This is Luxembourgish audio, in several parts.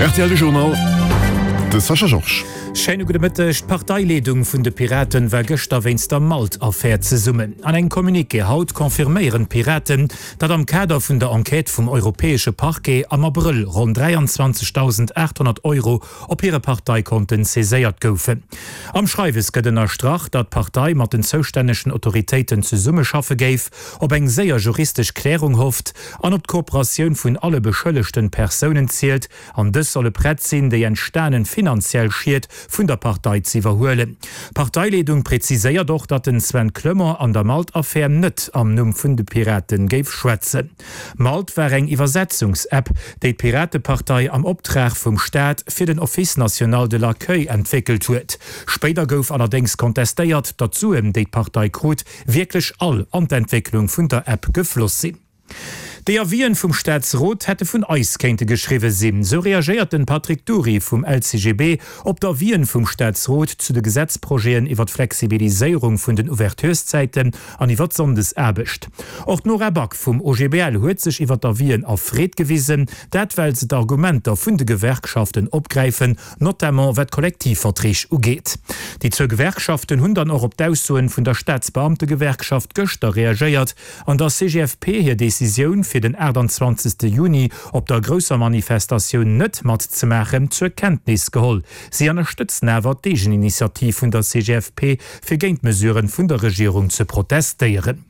Rtl Journal, de Sascha Georges. Schéine gudde Mëtteg. D'Parteileedung vun de Piraten war gëschter wéinst der Malt-Affär zesummen. An engem Communiqué haut confirméieren d'Piraten, datt am Kader vun der Enquête vum europäesche Parquet am Abrëll ronn 23.800 Euro op hire Parteikonten saiséiert goufen. Am Schreiwes gëtt ënnerstrach, datt d'Partei mat den zoustännegen Autoritéiten zesummeschaffe géif, op eng séier juristesch Klärung hofft an op d'Kooperatioun vun alle beschëllegten Persounen zielt, an dës solle prett sinn, déi entstanen finanziell Schied vun der Partei ze iwwerhuelen. D'Parteileedung präziséiert och, datt den Sven Clement an der Malt-Affär net am Numm vun de Piraten géif schwätzen. Malt war eng Iwwersetzungs-App, déi d'Piratepartei am Optrag vum Staat fir den Office national de l'accueil entwéckelt huet. Spéider gouf allerdéngs kontestéiert, datt d'Suen, déi d'Partei krut, wierklech all an d'Entwécklung vun der App gefloss sinn. Déi Avisen vum Staatsrot hätte vun eis kéinte geschriwwe sinn, sou reagéiert den Patrick Dury vum LCGB op d'Avisen vum Staatsrot zu de Gesetzprojeten iwwer d'Flexibiliséierung vun den Ouvertureszäiten an iwwer d'Sonndesaarbecht. Och d'Nora Back vum OGBL huet sech iwwer d'Avisen erfreet gewisen, dat well se d'Argumenter vun de Gewerkschaften opgräifen notamment wat d'Kollektivverträg ugeet. Déi zwou Gewerkschaften hunn dann och op d'Aussoen vun der Staatsbeamtegewerkschaft gëschter reagéiert an der CGFP hir Decisioun, fir den 28 Juni op der grousser Manifestatioun net matzemaachen, zur Kenntnis geholl. Si ënnerstëtzen awer d'Eegeninitiativ vun der CGFP, fir géint d'Mesuren vun der Regierung ze protestéieren.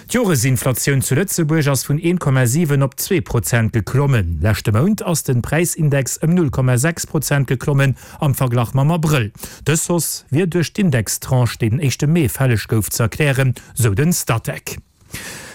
D'Joresinflatioun zu Lëtzebuerg ass vun 1,7 op 2 Prozent geklommen. Leschte Mount ass den Präisindex ëm 0,6 Prozent geklommen am Verglach mam Abrëll. Dës Hausse wier duerch d'Indextranche, déi den éischte Mee fälleg gouf, ze erklären, sou den Statec.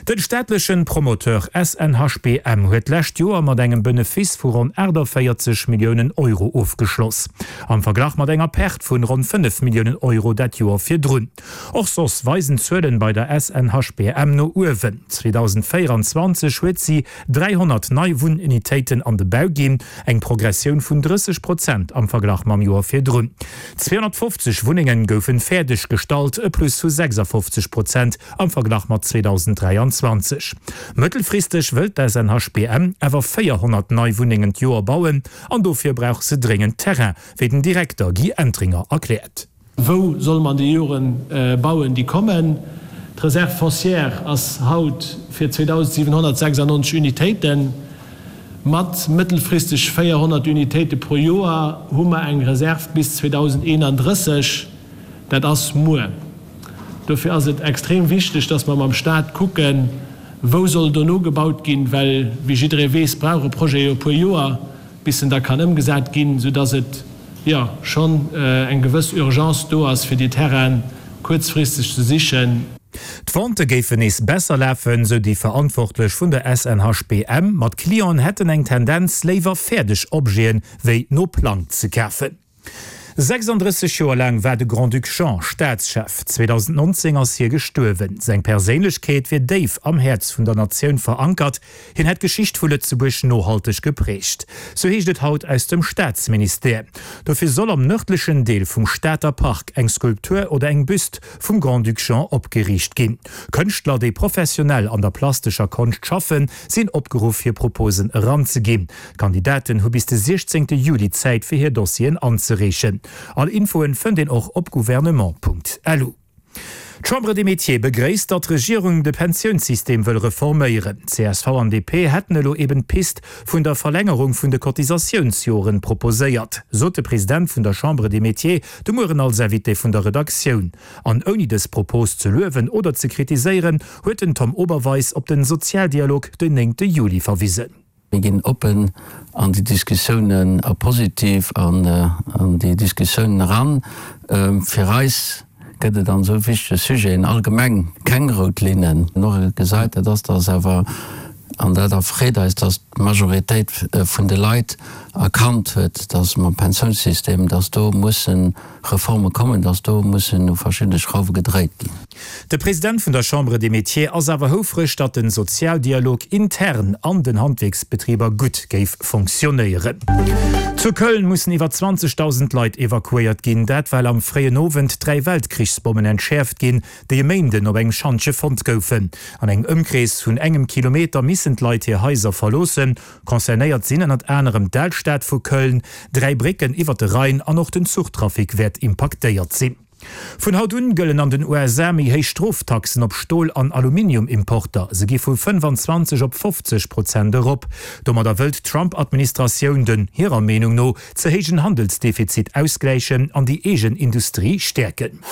Den staatlechen Promoteur SNHBM huet d'lescht Joer mat engem Benefice vu ronn 48 Milliounen Euro ofgeschloss, am Verglach mat enger Perte vun ronn 5 Milliounen Euro dat Joer virdrun. Och soss weisen d'Zuelen bei der SNHBM no uewen. 2024 huet si 300 nei Wunnunitéiten an de Bau ginn, eng Progressioun vun 30 Prozent am Verglach mam Joer virdrun. 250 Wunnenge goufen fäerdeg gestallt, e Plus vu 56 Prozent am Verglach mat 2023. Mëttelfristeg wëllt d'SNHBM awer 400 nei Wunnengen d'Joer bauen an dofir brauch se dréngend Terrain, wéi den Direkter Guy Entringer erkläert. Wou solle mer an de Joren bauen, déi kommen? D'Reserve foncière ass haut fir 2.796 Unitéiten. Mat mëttelfristeg 400 Unitéite pro Joer hu mer eng Reserve bis 2031. Dat ass muer. Dofir ass et extrem wichteg, dass mer mam Stat kucken, wou soll dono gebaut ginn, well, wéi jidderee weess, brauch e Projet jo e puer Joer. bis en da kann ëmgesat ginn, soudass et, jo, schonn eng gewëss Urgence do ass, fir déi Terraine kuerzfristeg ze sichen. D'Ventë géifen nees besser lafen, sou déi Verantwortlech vun der SNHBM, ma d'Clienten hätten eng Tendenz, léiwer fäerdeg Objete wéi no Plang ze kafen. 36 Joer laang war de Grand-Duc Jean Staatschef. 2019 ass hie gestuerwen. Seng Perséinlechkeet wier déif am Häerz vun der Natioun verankert. Hien hätt d'Geschicht vu Lëtzebuerg nohalteg geprägt. Sou heescht et haut aus dem Staatsministère. Dofir soll am nërdlechen Deel vum Stater Park eng Skulptur oder eng Büst vum Grand-Duc Jean opgeriicht ginn. Kënschtler, déi professionell an der plastescher Konscht schaffen, sinn opgeruff hir Proposen eranzeginn. D'Kandidaten hu bis de 16 Juli Zäit fir hir Dossieren anzereechen. All Infoen fënnt een och op gouvernement.lu. D'Chambre des Métiers begréisst, datt d'Regierung de Pensiounssystem wëll reforméieren. Csv an DP hätten elo eben d'Pist vun der Verlängerung vun de Cotisatiounsjoren proposéiert, sot de President vun der Chambre des Métiers de Mueren als Invité vun der Redaktioun. An ouni dës Propos ze luewen oder ze kritiséieren, huet den Tom Oberweis op den Sozialdialog den 9 Juli verwisen. Mir ginn oppen an déi Diskussiounen a positiv an déi Diskussiounen eran. Fir eis gëtt et an esou wichtege Sujeten allgemeng keng rout Linnen. Och gesait, dat ass, dass awer, an dat erfreet eis, dass d'Majoritéit vun de Leit erkannt huet, dass mam Pensiounssystem, dass do mussen Reforme kommen, dass do mussen u verschiddene Schrauwe gedréit ginn. De President vun der Chambre des Métiers ass awer houfreg, datt den Sozialdialog intern an den Handwierksbetriber gutt géif fonctionnéieren. Zu Köln mussen iwwer 20.000 Leit evakuéiert ginn. Dat well am fréien Owend 3 Weltkrichsbommen entschäerft ginn, déi e Méinden op engem Schantje fonnt goufen. An engem Ëmkrees vun engem Kilometer missten. missen d'Leit hir Haiser verloossen. Concernéiert sinn ënnert anerem d'Alstad vu Köln, 3 Brécken iwwer de Rhein an och den Zuchtrafic wäert impaktéiert sinn. Vun haut un gëllen an den USA méi héich Stroftaxen op Stol an Aluminium-Importer. Se gi vu 25 op 50 Prozent erop. Domadder wëllt d'Trump-Administratioun den, hirer Meenung no, ze héijen Handelsdefizit ausgläichen an déi eegen Industrie stäerken.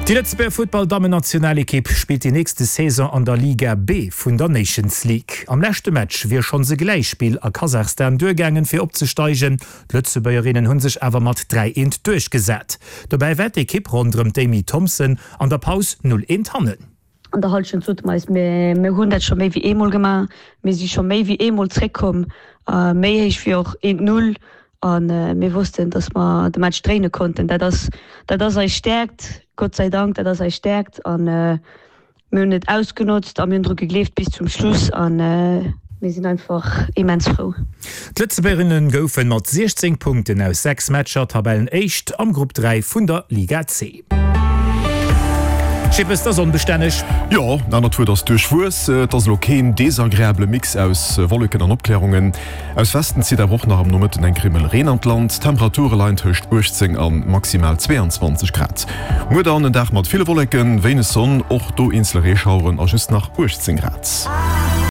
Déi Lëtzebuerger Futtball-Dammennationalekipp spillt déi nächste Saison an der Liga B vun der Nations League. Am leschte Match wier schonns e Gläichspill a Kasachstan duergaangen, fir opzesteigen. D'Lëtzebuergerinnen hu sech awer mat 3 eent duerchgesat. Dobäi war d'Ekipp ronderëm d'Amy Thompson an der Paus 0 eent hannen. An der Hallschent sote mer eis, mir hunn dat scho méi wéi eemol gemaach, mir si scho méi wéi eemol zréckkomm, méi héich wéi och eent Null a mir wossten, datt mer de Match dréine konnten. Dat ass, dat ass eis Stäerkt, Gott sei Dank, dat ass eis Stäerkt a mir hunn et ausgenotzt a mir hunn dru gegleeft bis zum Schluss a mir sinn einfach immens frou. D'Lëtzebuergerinnen goufen mat 16 Punkten aus 6 Matcher Tabellenéischt am Grupp 3 vun der Liga C. Schippes, 't ass onbestänneg. Jo, en anert Wuert ass duerchwuess. Et ass elo keen desagreabele Mix aus Wolleken an Opklärungen. Aus Westen zitt awer och nach am Nomëtten eng Krimmel Reen an d'Land. D'Temperature leien tëscht 18 a maximal 22 Grad. Muer dann en Dag mat ville Wolleken, wéineg Sonn, och do eenzele Reeschaueren a just nach 18 Grad.